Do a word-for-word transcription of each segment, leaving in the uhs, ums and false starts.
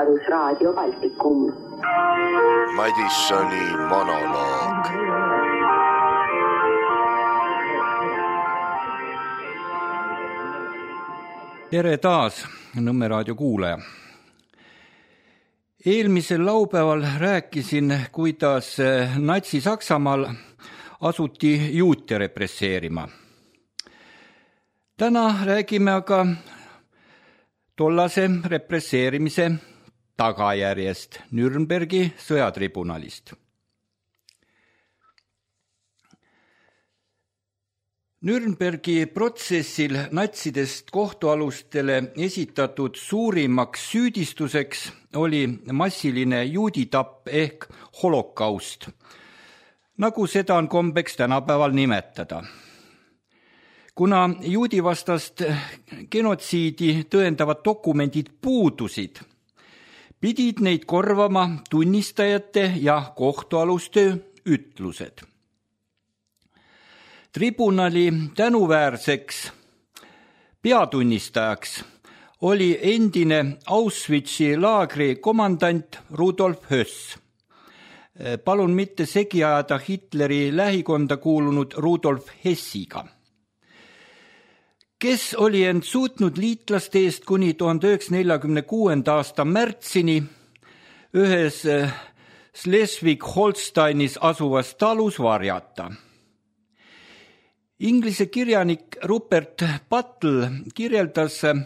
Rahvusraadio Baltikum. Madissoni monoloog. Tere taas, Nõmme raadio kuulaja. Eelmisel laupäeval rääkisin, kuidas Natsi-Saksamaal asuti juute represseerima. Täna räägime aga tollase represseerimise tagajärjest, Nürnbergi sõjatribunalist. Nürnbergi protsessil natsidest kohtualustele esitatud suurimaks süüdistuseks oli massiline juuditapp ehk holokaust, nagu seda on kombeks tänapäeval nimetada. Kuna juudivastast genotsiidi tõendavad dokumendid puudusid, pidid neid korvama tunnistajate ja kohtualuste ütlused. Tribunali tänuväärseks peatunnistajaks oli endine Auschwitzi laagri komandant Rudolf Höss. Palun mitte segi ajada Hitleri lähikonda kuulunud Rudolf Hessiga, kes oli end suutnud liitlaste eest kuni tuhande üheksasaja neljakümne kuuenda aasta märtsini ühes Schleswig-Holsteinis asuvas talus varjata. Inglise kirjanik Rupert Battle kirjeldas äh,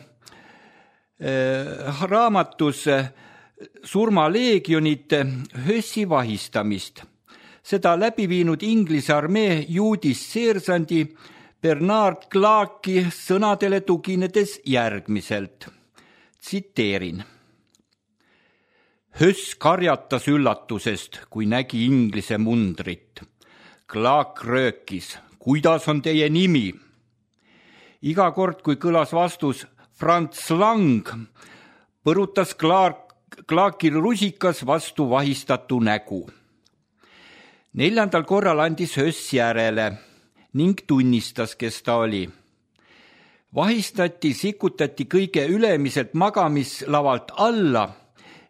raamatus surmaleegionite Hössi vahistamist. Seda läbi viinud Inglise armee juudist seersandi Bernard Clarki sõnadele tuginedes järgmiselt. Tsiteerin. Höss karjatas üllatusest, kui nägi Inglise mundrit. Clark röökis. Kuidas on teie nimi? Iga kord, kui kõlas vastus Franz Lang, põrutas Clark, Clarkil rusikas vastu vahistatu nägu. Neljandal korral andis Höss järele ning tunnistas, kes ta oli. Vahistati, sikutati kõige ülemiselt magamislavalt alla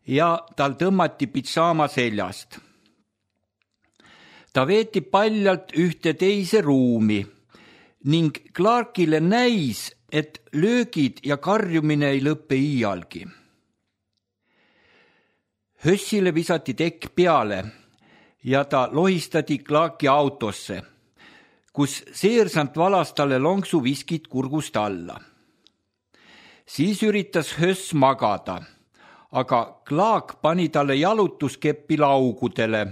ja tal tõmmati pitsaama seljast. Ta veeti paljalt ühte teise ruumi ning Clarkile näis, et löögid ja karjumine ei lõppe iialgi. Hössile visati tekk peale ja ta lohistati Clarki autosse, kus seersant valas talle lonksu viskit kurgust alla. Siis üritas Höss magada, aga Clark pani talle jalutuskeppi laugudele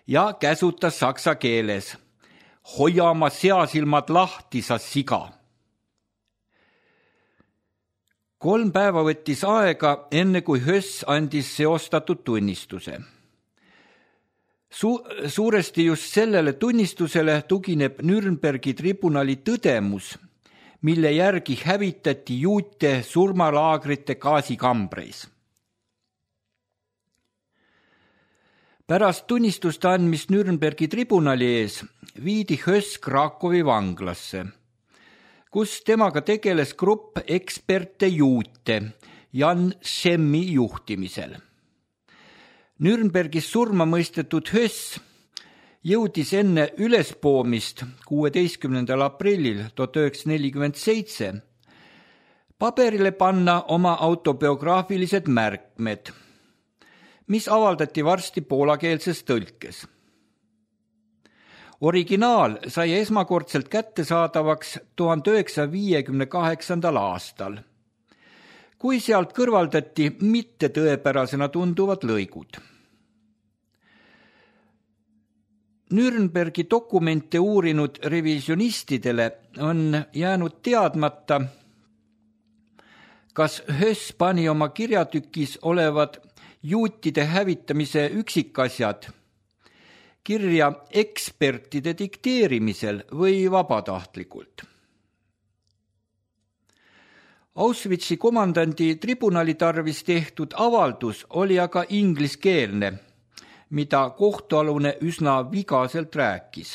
ja käsutas saksa keeles. Hoia oma seasilmad lahti, sa siga. Kolm päeva võttis aega, enne kui Höss andis seostatud tunnistuse. Su- suuresti just sellele tunnistusele tugineb Nürnbergi tribunali tõdemus, mille järgi hävitati juute surmalaagrite gaasikambreis. Pärast tunnistuste andmist Nürnbergi tribunali ees viidi Höss Krakowi vanglasse, kus temaga tegeles grupp eksperte juute Jan Schemmi juhtimisel. Nürnbergis surma mõistetud Höss jõudis enne ülespoomist kuueteistkümnendal aprillil tuhat üheksasada nelikümmend seitse paberile panna oma autobiograafilised märkmed, mis avaldati varsti poolakeelses tõlkes. Originaal sai esmakordselt kättesaadavaks tuhande üheksasaja viiekümne kaheksandal aastal, kui sealt kõrvaldati mitte tõepärasena tunduvad lõigud. Nürnbergi dokumente uurinud revisionistidele on jäänud teadmata, kas Höss pani oma kirjatükis olevad juutide hävitamise üksikasjad kirja ekspertide dikteerimisel või vabatahtlikult. Auschwitzi komandandi tribunali tarvis tehtud avaldus oli aga ingliskeelne, mida kohtualune üsna vigaselt rääkis.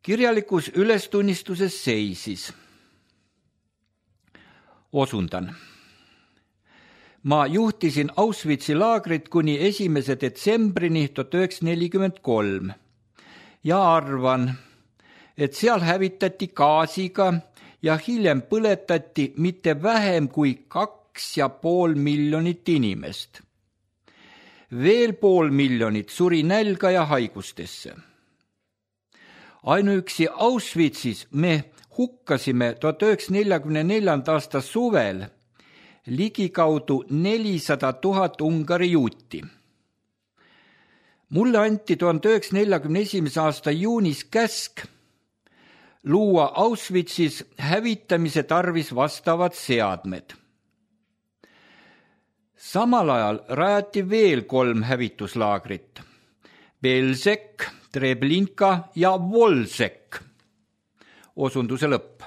Kirjalikus ülestunnistuses seisis. Osundan. Ma juhtisin Auschwitzi laagrit kuni esimese detsembrini tuhat üheksasada nelikümmend kolm ja arvan, et seal hävitati gaasiga ja hiljem põletati mitte vähem kui kaks ja pool miljonit inimest. Veel pool miljonit suri nälga ja haigustesse. Ainuüksi Auschwitzis me hukkasime tuhat üheksasada neljakümne neljanda aasta suvel ligikaudu nelisada tuhat Ungari juuti. Mulle anti tuhande üheksasaja neljakümne esimese aasta juunis käsk luua Auschwitzis hävitamise tarvis vastavad seadmed. Samal ajal rajati veel kolm hävituslaagrit: Belzec, Treblinka ja Volsek. Osunduse lõpp.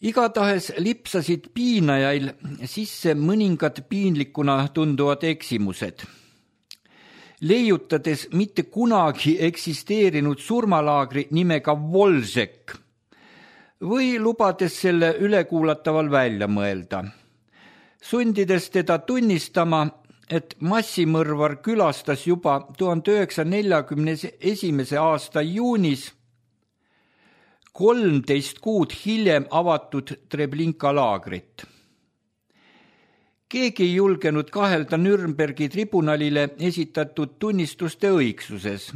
Igatahes lipsasid piinajail sisse mõningad piinlikuna tunduvad eksimused. Leiutades mitte kunagi eksisteerinud surmalaagri nimega Volsek või lubades selle ülekuulataval välja mõelda, sundides teda tunnistama, et massimõrvar külastas juba tuhande üheksasaja neljakümne esimese aasta juunis kolmteist kuud hiljem avatud Treblinka laagrit. Keegi ei julgenud kahelda Nürnbergi tribunalile esitatud tunnistuste õigsuses,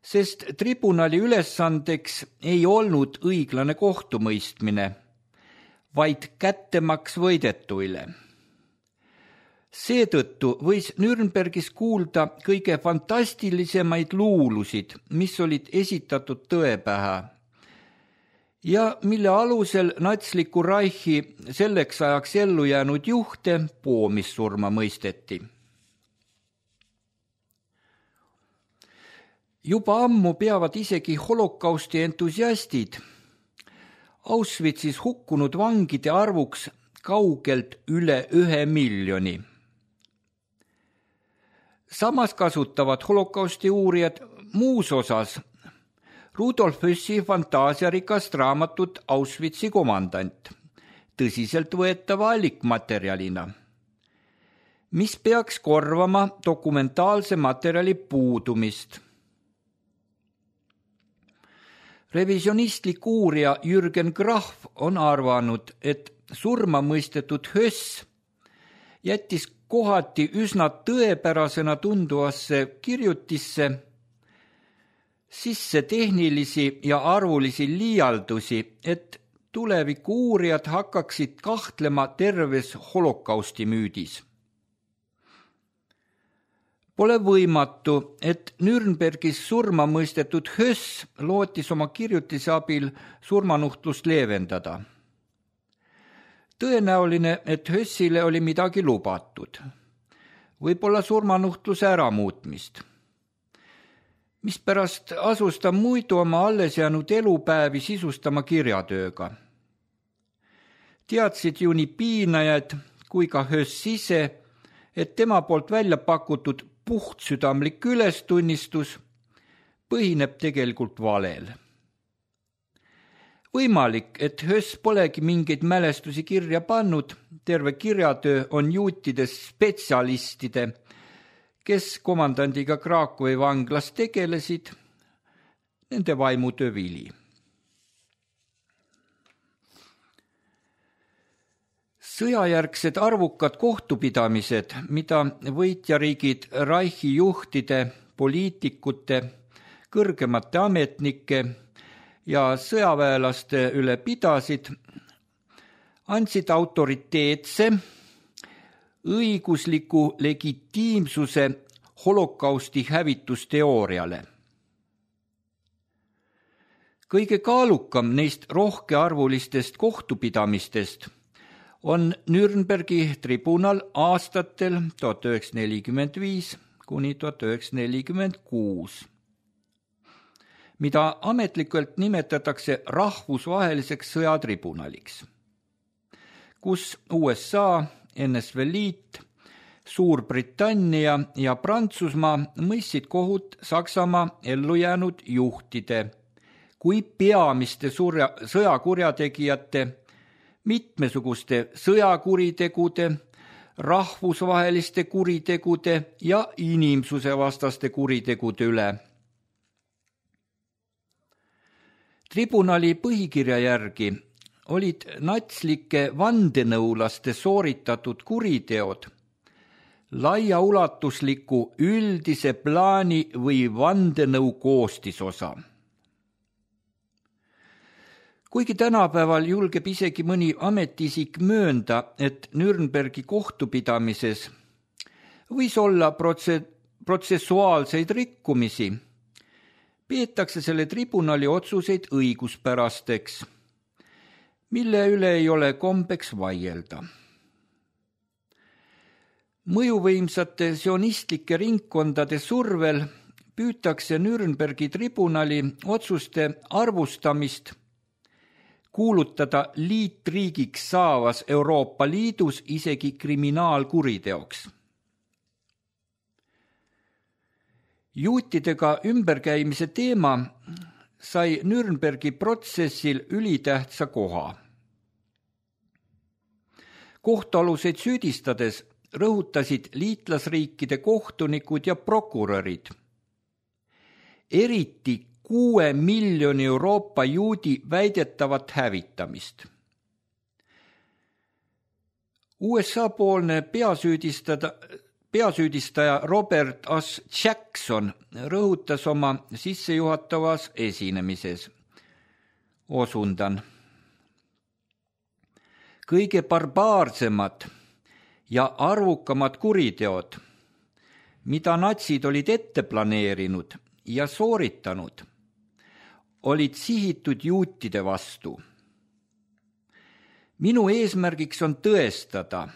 sest tribunali ülesandeks ei olnud õiglane kohtumõistmine, vaid kättemaks võidetuile. Seetõttu võis Nürnbergis kuulda kõige fantastilisemaid luulusid, mis olid esitatud tõepähe ja mille alusel natsliku Reichi selleks ajaks ellu jäänud juhte poomissurma mõisteti. Juba ammu peavad isegi holokausti entusiastid Auschwitzis hukkunud vangide arvuks kaugelt üle ühe miljoni. Samas kasutavad holokausti uurijad muus osas Rudolf Hössi fantaasiarikast raamatut Auschwitzi komandant tõsiselt võetava allikmaterjalina, mis peaks korvama dokumentaalse materjali puudumist. Revisionistlik uurija Jürgen Graf on arvanud, et surma mõistetud Höss jättis kohati üsna tõepärasena tunduvasse kirjutisse sisse tehnilisi ja arvulisi liialdusi, et tuleviku uurijad hakkaksid kahtlema terves holokausti müüdis. Pole võimatu, et Nürnbergis surma mõistetud Höss lootis oma kirjutise abil surmanuhtlust leevendada. Tõenäoline, et Hössile oli midagi lubatud, võib-olla surmanuhtluse äramuutmist, mispärast asus ta muidu oma alles jäänud elupäevi sisustama kirjatööga. Teadsid ju nii piinajad kui ka Höss ise, et tema poolt välja pakutud puhtsüdamlik ülestunnistus põhineb tegelikult valel. Võimalik, et Höss polegi mingeid mälestusi kirja pannud, terve kirjatöö on juutides spetsialistide, kes komandandiga Krakowi vanglas tegelesid, nende vaimutöö vili. Sõjajärgsed arvukad kohtupidamised, mida võitjariigid Reichi juhtide, poliitikute, kõrgemate ametnike ja sõjaväelaste üle pidasid, andsid autoriteetse, õigusliku legitiimsuse holokausti hävitusteooriale. Kõige kaalukam neist rohkearvulistest kohtupidamistest on Nürnbergi tribunal aastatel tuhat üheksasada nelikümmend viis kuni tuhat üheksasada nelikümmend kuus, mida ametlikult nimetatakse rahvusvaheliseks sõjatribunaliks, kus U S A, N S V Liit, Suurbritannia ja Prantsusmaa mõistsid kohut Saksamaa ellujäänud juhtide kui peamiste sõjakurjategijate mitmesuguste sõjakuritegude, rahvusvaheliste kuritegude ja inimsusevastaste kuritegude üle. Tribunali põhikirja järgi olid natslike vandenõulaste sooritatud kuriteod laiaulatusliku üldise plaani või vandenõu koostisosa. Kuigi tänapäeval julgeb isegi mõni ametiisik möönda, et Nürnbergi kohtupidamises võis olla protse- protsessuaalseid rikkumisi, peetakse selle tribunali otsuseid õiguspärasteks, mille üle ei ole kombeks vaielda. Mõjuvõimsate sionistlike ringkondade survel püütakse Nürnbergi tribunali otsuste arvustamist kuulutada liitriigiks saavas Euroopa Liidus isegi kriminaalkuriteoks. Juutidega ümberkäimise teema sai Nürnbergi protsessil ülitähtsa koha. Kohtualuseid süüdistades rõhutasid liitlasriikide kohtunikud ja prokurörid, eriti kuue miljoni Euroopa juudi väidetavat hävitamist. U S A poolne peasüüdistada Peasüüdistaja Robert S. Jackson rõhutas oma sissejuhatavas esinemises. Osundan. Kõige barbaarsemad ja arvukamad kuriteod, mida natsid olid ette planeerinud ja sooritanud, olid sihitud juutide vastu. Minu eesmärgiks on tõestada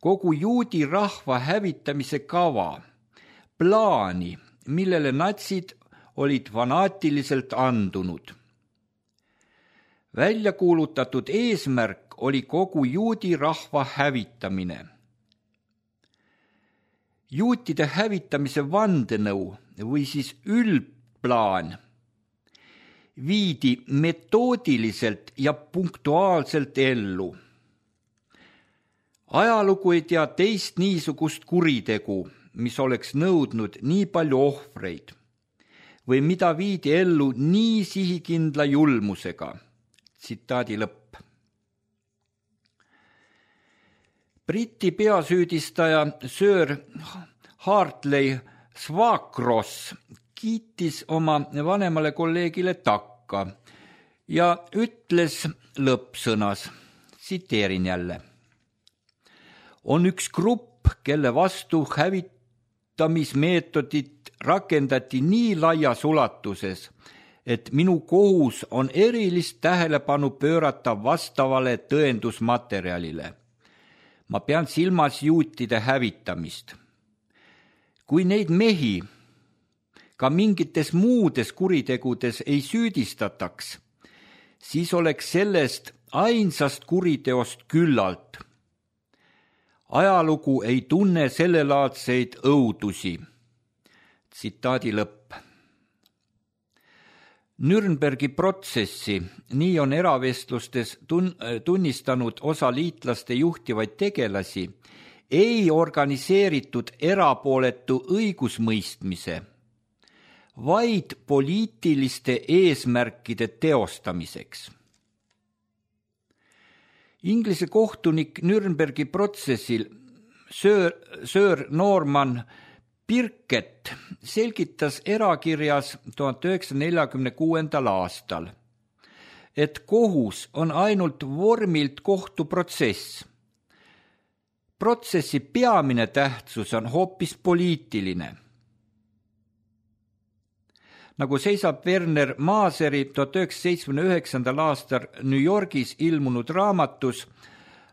kogu juudi rahva hävitamise kava, plaani, millele natsid olid fanaatiliselt andunud. Välja kuulutatud eesmärk oli kogu juudi rahva hävitamine. Juutide hävitamise vandenõu või siis üldplaan viidi metoodiliselt ja punktuaalselt ellu. Ajalugu ei tea teist niisugust kuritegu, mis oleks nõudnud nii palju ohvreid või mida viidi ellu nii sihikindla julmusega. Tsitaadi lõpp. Briti peasüüdistaja Sir Hartley Swakros kiitis oma vanemale kolleegile takka ja ütles lõppsõnas, tsiteerin jälle. On üks grupp, kelle vastu hävitamismeetodit rakendati nii laias ulatuses, et minu kohus on erilist tähelepanu pöörata vastavale tõendusmaterjalile. Ma pean silmas juutide hävitamist. Kui neid mehi ka mingites muudes kuritegudes ei süüdistataks, siis oleks sellest ainsast kuriteost küllalt. Ajalugu ei tunne sellelaadseid õudusi. Tsitaadi lõpp. Nürnbergi protsessi, nii on eravestlustes tun- tunnistanud osa liitlaste juhtivaid tegelasi, ei organiseeritud erapooletu õigusmõistmise, vaid poliitiliste eesmärkide teostamiseks. Inglise kohtunik Nürnbergi protsessil Sir, Sir Norman Birkett selgitas erakirjas tuhat üheksasaja neljakümne kuuendal aastal, et kohus on ainult vormilt kohtuprotsess. Protsessi peamine tähtsus on hoopis poliitiline. Nagu seisab Werner Maaseri tuhat üheksasaja seitsmekümne üheksandal aastal New Yorgis ilmunud raamatus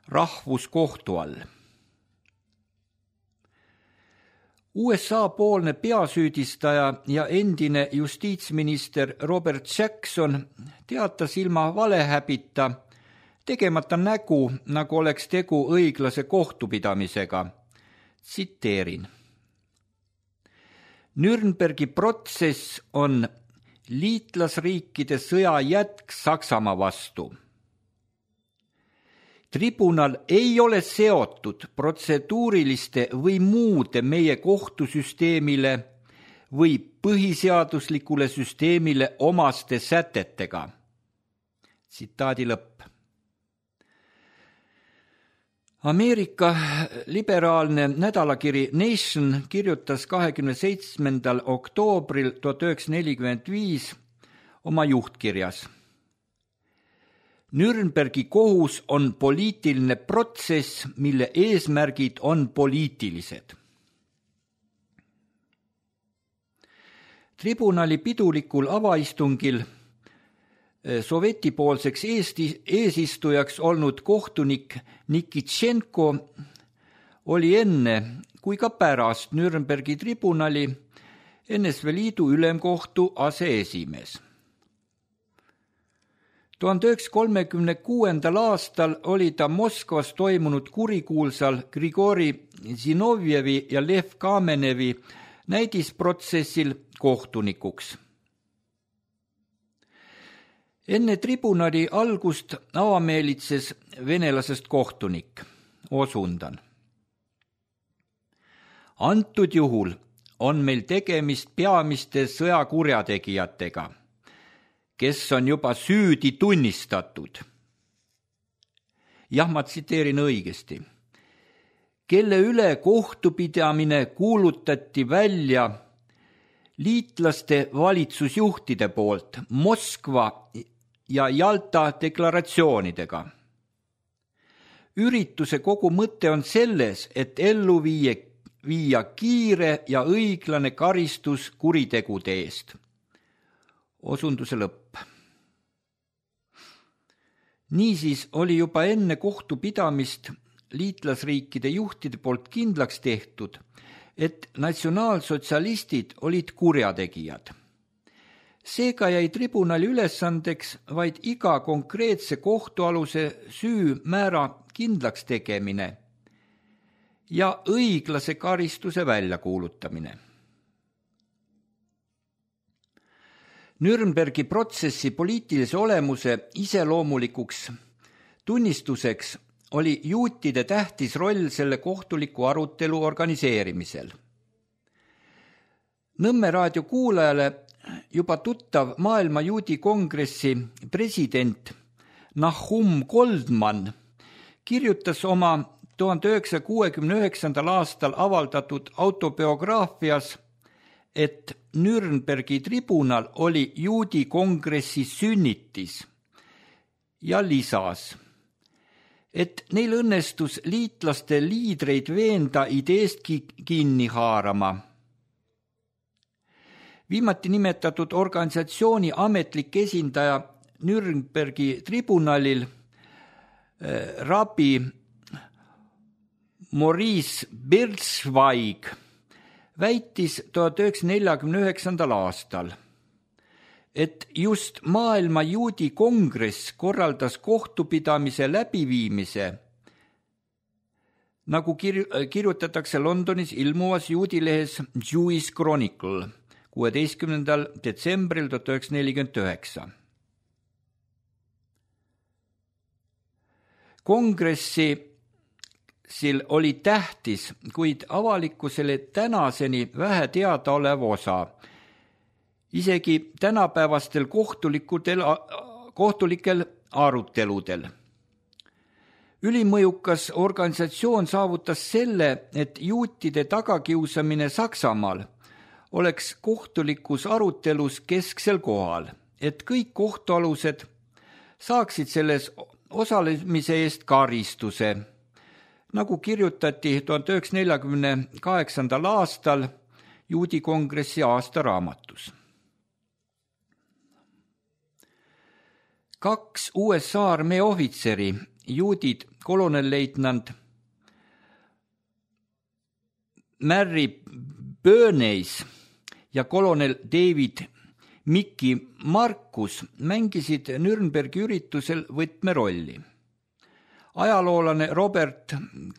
Rahvuskohtu all. U S A poolne peasüüdistaja ja endine justiitsminister Robert Jackson teatas ilma valehäbita, tegemata nägu, nagu oleks tegu õiglase kohtupidamisega. Tsiteerin. Nürnbergi protsess on liitlasriikide sõja jätk Saksamaa vastu. Tribunal ei ole seotud protseduuriliste või muude meie kohtusüsteemile või põhiseaduslikule süsteemile omaste sätetega. Tsitaadi lõpp. Ameerika liberaalne nädalakiri Nation kirjutas kahekümne seitsmendal oktoobril tuhat üheksasada nelikümmend viis oma juhtkirjas. Nürnbergi kohus on poliitiline protsess, mille eesmärgid on poliitilised. Tribunali pidulikul avaistungil sovetipoolseks Eesti eesistujaks olnud kohtunik Nikitšenko oli enne kui ka pärast Nürnbergi tribunali N S V Liidu ülemkohtu aseesimees. tuhande üheksasaja kolmekümne kuuendal aastal oli ta Moskvas toimunud kurikuulsal Grigori Zinovjevi ja Lev Kamenevi näidisprotsessil kohtunikuks. Enne tribunali algust avameelitses venelasest kohtunik, osundan. Antud juhul on meil tegemist peamiste sõjakurjategijatega, kes on juba süüdi tunnistatud. Jah, ma tsiteerin õigesti. Kelle üle kohtupidamine kuulutati välja liitlaste valitsusjuhtide poolt Moskva ja Jalta deklaratsioonidega. Ürituse kogu mõte on selles, et ellu viia, viia kiire ja õiglane karistus kuritegude eest. Osunduse lõpp. Niisiis oli juba enne kohtupidamist liitlasriikide juhtide poolt kindlaks tehtud, et natsionaalsotsialistid olid kurjategijad. Seega jäi tribunali ülesandeks vaid iga konkreetse kohtualuse süümäära kindlaks tegemine ja õiglase karistuse väljakuulutamine. Nürnbergi protsessi poliitilise olemuse iseloomulikuks tunnistuseks oli juutide tähtis roll selle kohtuliku arutelu organiseerimisel. Nõmme raadio kuulajale juba tuttav Maailma Juudi Kongressi president Nahum Goldman kirjutas oma tuhande üheksasaja kuuekümne üheksandal aastal avaldatud autobiograafias, et Nürnbergi tribunal oli Juudi Kongressi sünnitis ja lisas, et neil õnnestus liitlaste liidreid veenda ideest kinni haarama. Viimati nimetatud organisatsiooni ametlik esindaja Nürnbergi tribunalil rabbi Maurice Birzweig väitis tuhat üheksasada neljakümne üheksandal aastal, et just Maailma Juudi Kongress korraldas kohtupidamise läbiviimise, nagu kir- kirjutatakse Londonis ilmuvas juudilehes Jewish Chronicle kuueteistkümnendal detsembril tuhat üheksasada nelikümmend üheksa. Kongressil oli tähtis, kuid avalikkusele tänaseni vähe teada olev osa, isegi tänapäevastel kohtulikel aruteludel. Ülimõjukas organisatsioon saavutas selle, et juutide tagakiusamine Saksamaal oleks kohtulikus arutelus kesksel kohal, et kõik kohtualused saaksid selles osalemise eest karistuse, nagu kirjutati tuhande üheksasaja neljakümne kaheksandal aastal Juudi Kongressi aastaraamatus. Kaks U S A armee ohvitseri, juudid kolonelleitnant Mary Bernays ja kolonel David Mickey Marcus mängisid Nürnbergi üritusel võtmerolli. Ajaloolane Robert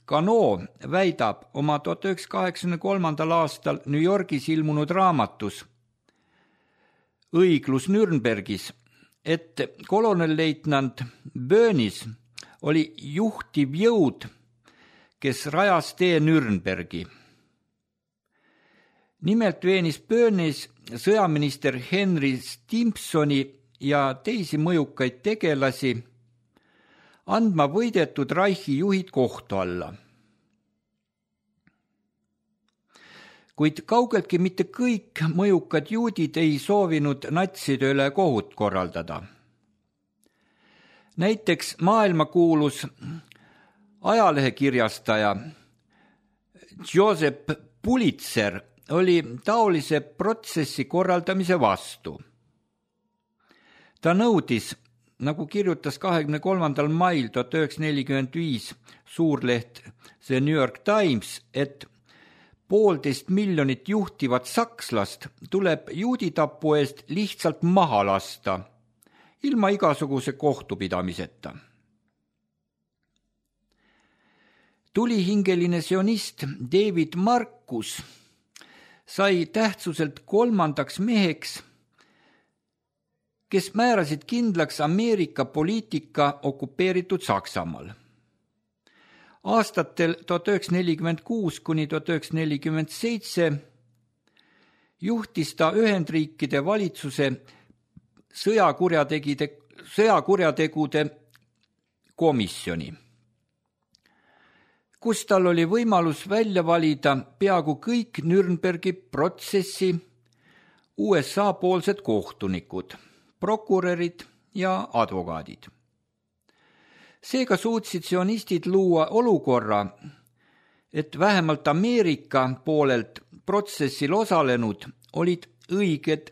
Cano väidab oma tuhat üheksasada kaheksakümne kolmandal aastal New Yorgis ilmunud raamatus Õiglus Nürnbergis, et kolonelleitnant Bernays oli juhtiv jõud, kes rajas tee Nürnbergi. Nimelt veenis Bönis sõjaminister Henry Stimsoni ja teisi mõjukaid tegelasi andma võidetud Reichi juhid kohtu alla. Kuid kaugeltki mitte kõik mõjukad juudid ei soovinud natside üle kohut korraldada. Näiteks maailmakuulus ajalehekirjastaja Joseph Pulitzer oli taolise protsessi korraldamise vastu. Ta nõudis, nagu kirjutas kahekümne kolmandal mail tuhat üheksasada nelikümmend viis suurleht The New York Times, et poolteist miljonit juhtivat sakslast tuleb juuditapu eest lihtsalt maha lasta, ilma igasuguse kohtupidamiseta. Tulihingeline sionist David Marcus sai tähtsuselt kolmandaks meheks, kes määrasid kindlaks Ameerika poliitika okupeeritud Saksamaal. Aastatel tuhat üheksasada nelikümmend kuus kuni tuhat üheksasada nelikümmend seitse juhtis ta Ühendriikide valitsuse sõjakurjategide, sõjakurjategude komisjoni, kus tal oli võimalus välja valida peaaegu kõik Nürnbergi protsessi U S A poolsed kohtunikud, prokurörid ja advokaadid. Seega suutsid sionistid luua olukorra, et vähemalt Ameerika poolelt protsessil osalenud olid õiged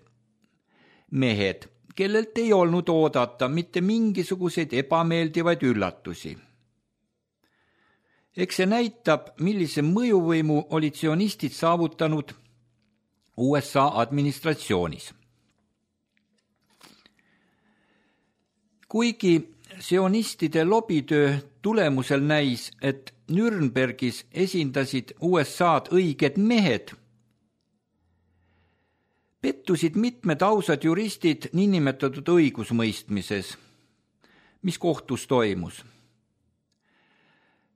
mehed, kellelt ei olnud oodata mitte mingisuguseid ebameeldivaid üllatusi. Eks see näitab, millise mõjuvõimu olid sionistid saavutanud U S A administratsioonis. Kuigi sionistide lobitöö tulemusel näis, et Nürnbergis esindasid U S A-d õiged mehed, pettusid mitmed ausad juristid niinimetatud õigusmõistmises, mis kohtus toimus.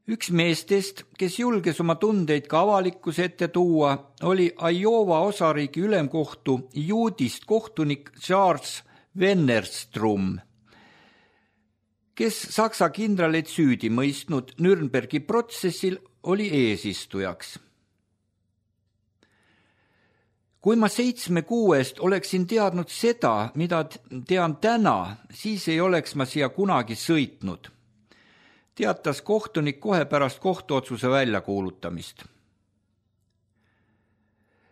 Üks meestest, kes julges oma tundeid ka avalikkuse ette tuua, oli Iowa osariigi ülemkohtu juudist kohtunik Charles Wennerstrom, kes Saksa kindraleid süüdi mõistnud Nürnbergi protsessil oli eesistujaks. Kui ma seitsme kuu eest oleksin teadnud seda, mida tean täna, siis ei oleks ma siia kunagi sõitnud, teatas kohtunik kohe pärast kohtuotsuse väljakuulutamist.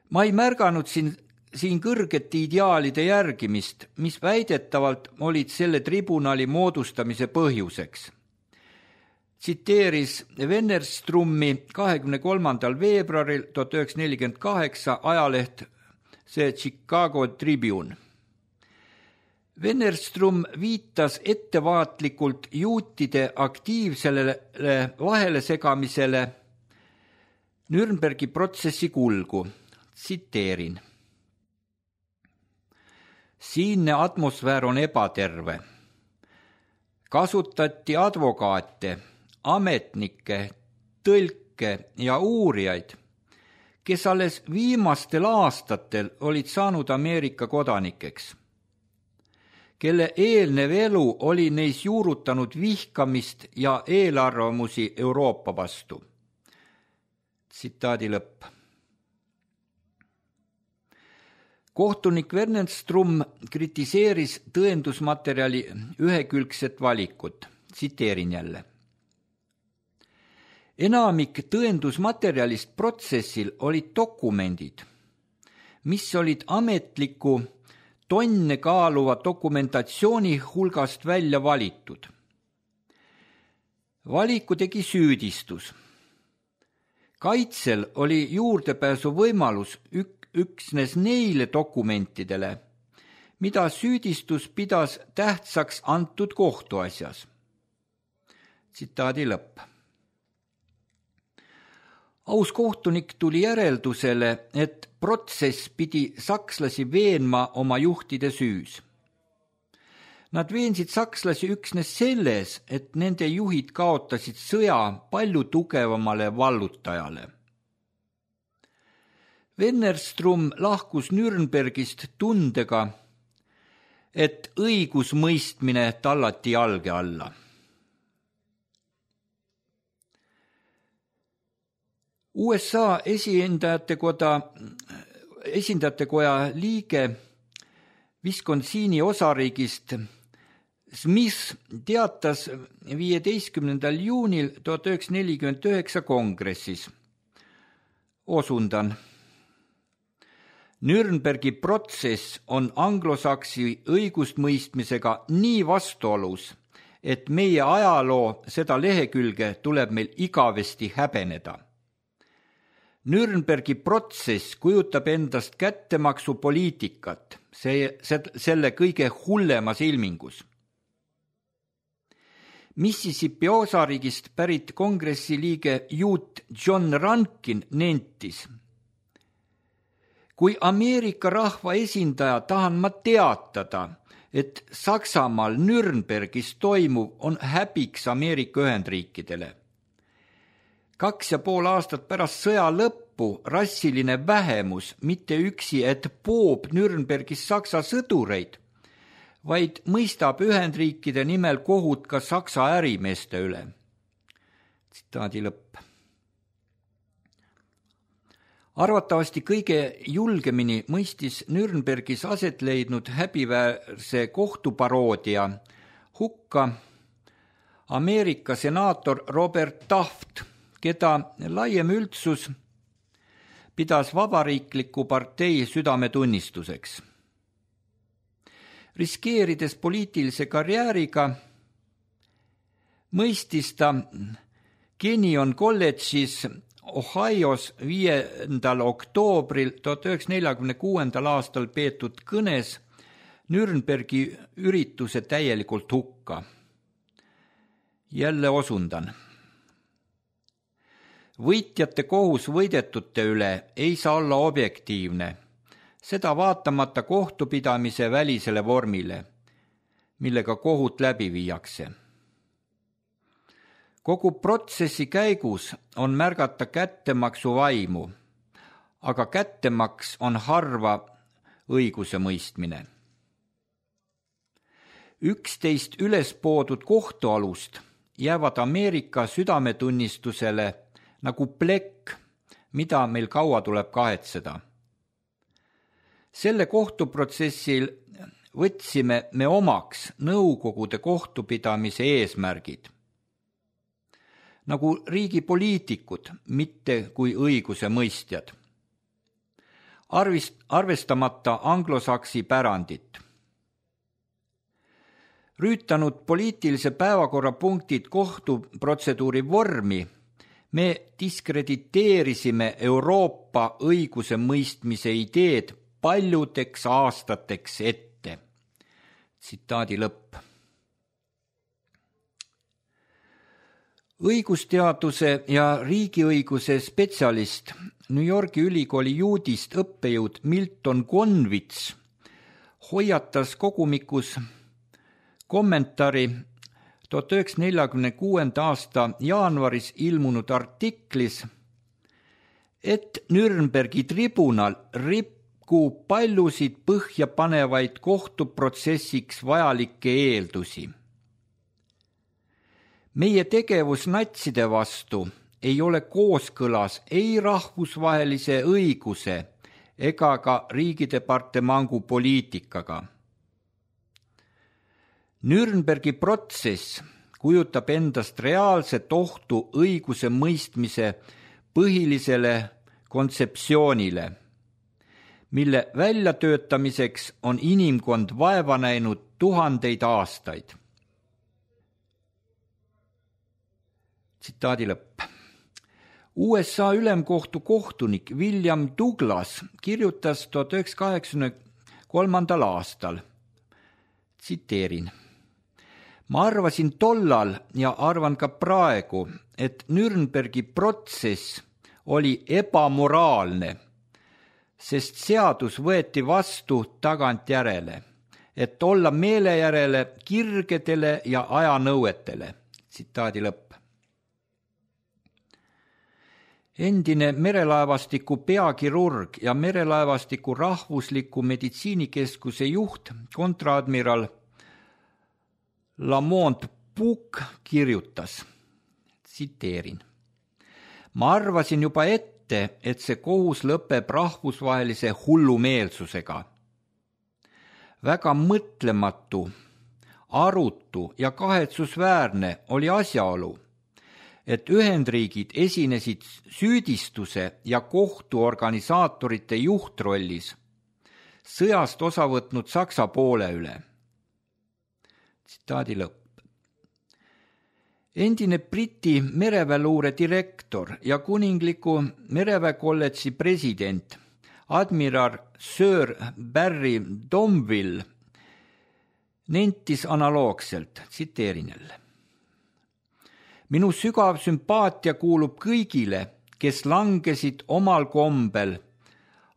Ma ei märganud siin, siin kõrgete ideaalide järgimist, mis väidetavalt olid selle tribunali moodustamise põhjuseks. Tsiteeris Wennerstromi kahekümne kolmandal veebruaril tuhat üheksasada nelikümmend kaheksa ajaleht see Chicago Tribune. Wennerstrom viitas ettevaatlikult juutide aktiivsele vahele segamisele Nürnbergi protsessi kulgu. Tsiteerin. Siinne atmosfäär on ebaterve. Kasutati advokaate, ametnikke, tõlke ja uurijaid, kes alles viimastel aastatel olid saanud Ameerika kodanikeks, kelle eelnev elu oli neis juurutanud vihkamist ja eelarvamusi Euroopa vastu. Tsitaadi lõpp. Kohtunik Wennerstrom kritiseeris tõendusmaterjali ühekülgset valikut. Tsiteerin jälle. Enamik tõendusmaterjalist protsessil olid dokumendid, mis olid ametliku tonne kaaluva dokumentatsiooni hulgast välja valitud. Valiku tegi süüdistus. Kaitsel oli juurdepääsu võimalus ük- üksnes neile dokumentidele, mida süüdistus pidas tähtsaks antud kohtuasjas. Tsitaadi lõpp. Aus kohtunik tuli järeldusele, et protsess pidi sakslasi veenma oma juhtide süüs. Nad veensid sakslasi üksnes selles, et nende juhid kaotasid sõja palju tugevamale vallutajale. Wennerstrum lahkus Nürnbergist tundega, et õigusmõistmine tallati jalge alla. U S A esindajate koda, esindajate koja liige Wisconsini osariigist Smith teatas viieteistkümnendal juunil tuhat üheksasada nelikümmend üheksa kongressis. Osundan. Nürnbergi protsess on anglosaksi õigustmõistmisega nii vastuolus, et meie ajaloo seda lehekülge tuleb meil igavesti häbeneda. Nürnbergi protsess kujutab endast kättemaksupoliitikat, see, selle kõige hullemas ilmingus. Mississippi osariigist pärit kongressi liige juut John Rankin nentis: kui Ameerika rahva esindaja tahan ma teatada, et Saksamaal Nürnbergis toimuv on häbiks Ameerika Ühendriikidele. Kaks ja pool aastat pärast sõja lõppu rassiline vähemus mitte üksi, et poob Nürnbergis Saksa sõdureid, vaid mõistab Ühendriikide nimel kohut ka Saksa ärimeeste üle. Tsitaadi lõpp. Arvatavasti kõige julgemini mõistis Nürnbergis aset leidnud häbiväärse kohtuparoodia hukka Ameerika senaator Robert Taft, keda laiem üldsus pidas vabariikliku partei südametunnistuseks. Riskeerides poliitilise karjääriga, mõistis ta Kenyon kolledžis Ohios viiendal oktoobril tuhat üheksasada neljakümne kuuendal aastal peetud kõnes Nürnbergi ürituse täielikult hukka. Jälle osundan. Võitjate kohus võidetute üle ei saa olla objektiivne, seda vaatamata kohtupidamise välisele vormile, millega kohut läbi viiakse. Kogu protsessi käigus on märgata kättemaksu vaimu, aga kättemaks on harva õiguse mõistmine. Üksteist ülespoodud kohtualust jäävad Ameerika südametunnistusele nagu plekk, mida meil kaua tuleb kahetseda. Selle kohtuprotsessil võtsime me omaks Nõukogude kohtupidamise eesmärgid, nagu riigi poliitikud, mitte kui õiguse mõistjad. Arvist, arvestamata anglosaksi pärandit. Rüütanud poliitilise päevakorra punktid kohtuprotseduuri vormi, me diskrediteerisime Euroopa õiguse mõistmise ideed paljudeks aastateks ette. Tsitaadi lõpp. Õigusteaduse ja riigiõiguse spetsialist New Yorgi ülikooli juudist õppejõud Milton Conwitz hoiatas kogumikus kommentaari tuhat üheksasada neljakümne kuuenda aasta jaanuaris ilmunud artiklis, et Nürnbergi tribunal rikub paljusid põhjapanevaid kohtuprotsessiks vajalikke eeldusi. Meie tegevus natside vastu ei ole kooskõlas ei rahvusvahelise õiguse ega ka riigidepartemangu poliitikaga. Nürnbergi protsess kujutab endast reaalset ohtu õiguse mõistmise põhilisele kontseptsioonile, mille väljatöötamiseks on inimkond vaeva näinud tuhandeid aastaid. Tsitaadi lõpp. U S A ülemkohtu kohtunik William Douglas kirjutas tuhat üheksasada kaheksakümne kolmandal aastal. Tsiteerin. Ma arvasin tollal ja arvan ka praegu, et Nürnbergi protsess oli ebamoraalne, sest seadus võeti vastu tagantjärele, et olla meele järele kirgedele ja ajanõuetele. Tsitaadi lõpp. Endine merelaevastiku peakirurg ja merelaevastiku rahvusliku meditsiinikeskuse juht, kontraadmiral Lamont Puuk kirjutas, tsiteerin. Ma arvasin juba ette, et see kohus lõpeb rahvusvahelise hullumeelsusega. Väga mõtlematu, arutu ja kahetsusväärne oli asjaolu, et Ühendriigid esinesid süüdistuse ja kohtuorganisaatorite juhtrollis sõjast osa võtnud Saksa poole üle. Tsitaadi lõpp. Endine Briti mereväeluure direktor ja kuningliku mereväekolledži president admiral Sir Barry Domville nentis analoogselt, tsiteerin jälle. Minu sügav sümpaatia kuulub kõigile, kes langesid omal kombel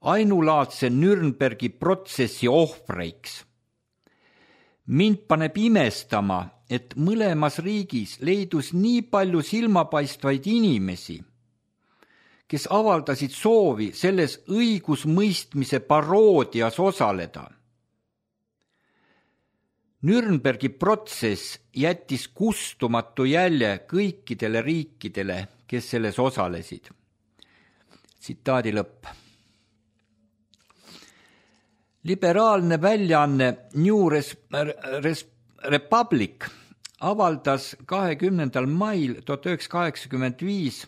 ainulaadse Nürnbergi protsessi ohvreiks. Mind paneb imestama, et mõlemas riigis leidus nii palju silmapaistvaid inimesi, kes avaldasid soovi selles õigusmõistmise paroodias osaleda. Nürnbergi protsess jättis kustumatu jälje kõikidele riikidele, kes selles osalesid. Tsitaadi lõpp. Liberaalne väljaanne New Res- Res- Republic avaldas kahekümnendal mail tuhat üheksasada kaheksakümmend viis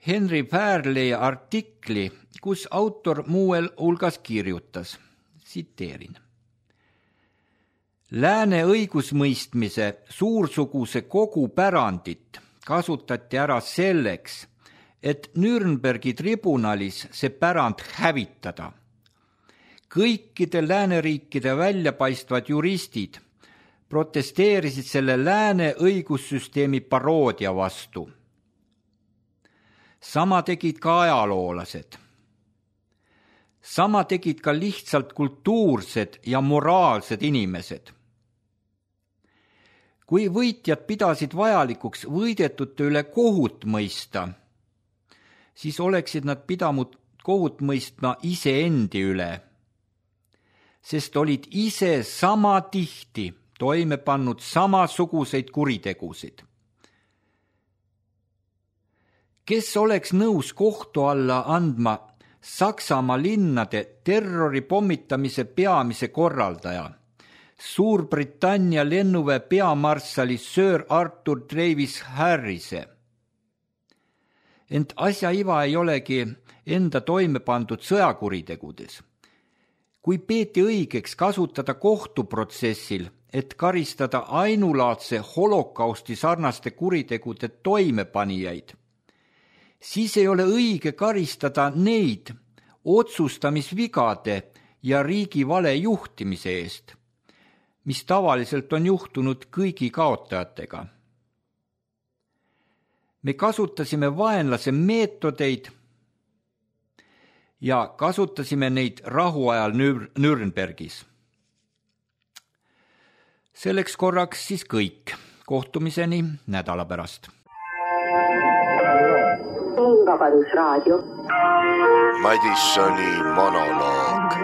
Henry Fairley artikli, kus autor muuel hulgas kirjutas, tsiteerin. Lääne õigusmõistmise suursuguse kogupärandit kasutati ära selleks, et Nürnbergi tribunalis see pärand hävitada. Kõikide lääneriikide väljapaistvad juristid protesteerisid selle lääne õigussüsteemi paroodia vastu. Sama tegid ka ajaloolased. Sama tegid ka lihtsalt kultuursed ja moraalsed inimesed. Kui võitjad pidasid vajalikuks võidetute üle kohut mõista, siis oleksid nad pidanud kohut mõistma iseendi üle, sest olid ise sama tihti toime pannud samasuguseid kuritegusid. Kes oleks nõus kohtu alla andma Saksamaa linnade terrori pommitamise peamise korraldaja, Suurbritannia lennuväe peamarssali Sir Arthur Travis Harrise? Ent asja iva ei olegi enda toime pandud sõjakuritegudes. Kui peeti õigeks kasutada kohtuprotsessil, et karistada ainulaadse holokausti sarnaste kuritegude toimepanijaid, siis ei ole õige karistada neid otsustamisvigade ja riigi vale juhtimise eest, mis tavaliselt on juhtunud kõigi kaotajatega. Me kasutasime vaenlase meetodeid ja kasutasime neid rahuajal Nürnbergis. Selleks korraks siis kõik. Kohtumiseni nädala pärast. Vabadusraadio. Madissoni monoloog.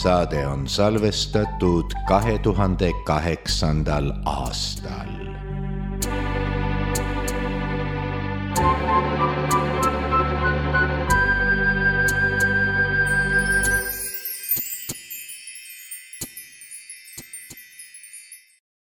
Saade on salvestatud kahe tuhande kaheksandal aastal.